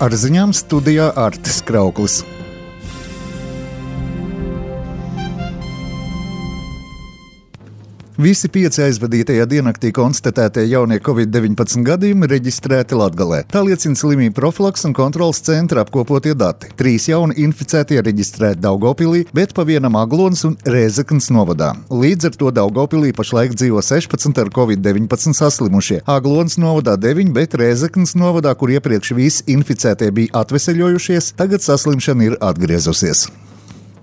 Ar ziņām studijā Artis Krauklis. Visi 5 aizvadītajā diennaktī konstatētie jaunie Covid-19 gadījumi reģistrēti Latgalē. Tā liecina slimību profilaks un kontrolas centra apkopotie dati. 3 jauni inficētie reģistrēti Daugavpilī, bet pa vienam Aglonas un Rēzeknes novadā. Līdz ar to Daugavpilī pašlaik dzīvo 16 ar Covid-19 saslimušie. Aglonas novadā 9, bet Rēzeknes novadā, kur iepriekš visi inficētie bija atveseļojušies, tagad saslimšana ir atgriezusies.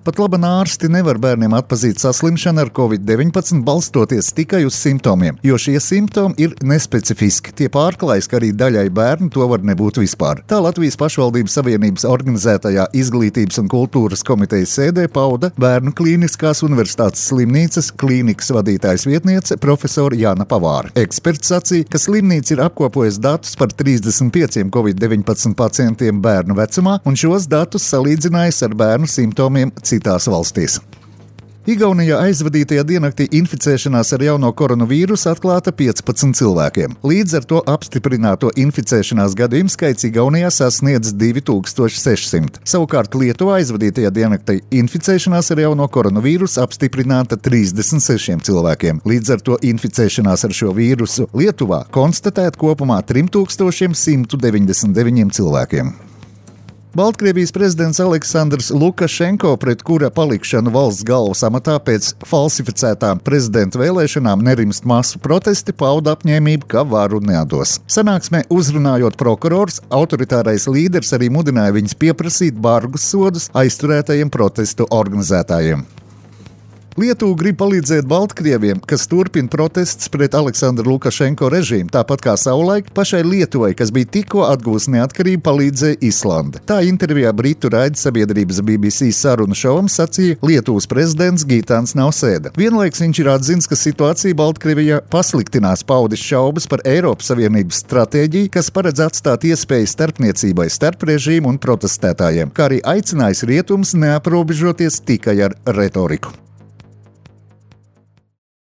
Pat labi ārsti nevar bērniem atpazīt saslimšanu ar Covid-19 balstoties tikai uz simptomiem, jo šie simptomi ir nespecifiski. Tie pārklājas, ka arī daļai bērnu to var nebūt vispār. Tā Latvijas pašvaldības savienības organizētajā izglītības un kultūras komitejas sēdē pauda Bērnu klīniskās universitātes slimnīcas klīnikas vadītājas vietniece profesora Jāna Pavāra. Eksperts sacīja, ka slimnīca ir apkopojusi datus par 35 Covid-19 pacientiem bērnu vecumā un šos datus salīdzinājusi ar bērnu simptomiem citās valstīs. Igaunijā aizvadītajā diennaktī inficēšanās ar jauno koronavīrusu atklāta 15 cilvēkiem. Līdz ar to apstiprināto inficēšanās gadījumu skaits Igaunijā sasniedz 2600. Savukārt Lietuvā aizvadītajā diennaktī inficēšanās ar jauno koronavīrusu apstiprināta 36 cilvēkiem. Līdz ar to inficēšanās ar šo vīrusu Lietuvā konstatēta kopumā 3199 cilvēkiem. Baltkrievijas prezidents Aleksandrs Lukašenko, pret kura palikšanu valsts galvas amatā pēc falsificētām prezidenta vēlēšanām nerimst masu protesti, pauda apņēmību, ka varu neatdos. Sanāksmē uzrunājot prokurors, autoritārais līderis arī mudināja viņus pieprasīt bargus sodus aizturētajiem protestu organizētājiem. Lietuva grib palīdzēt Baltkrieviem, kas turpina protestus pret Aleksandru Lukašenko režīmu, tāpat kā savulaik pašai Lietuvai, kas bija tikko atguvusi neatkarību, palīdzēja Islande. Tā intervijā britu raidsabiedrības BBC sarunu šovam sacīja Lietuvas prezidents Gitāns Nausēda. Vienlaiks viņš ir atzinis, ka situācija Baltkrievijā pasliktinās, paudis šaubas par Eiropas Savienības stratēģiju, kas paredz atstāt iespēju starpniecībai starp režīmu un protestētājiem, kā arī aicinājis rietumus neaprobežoties tikai ar retoriku.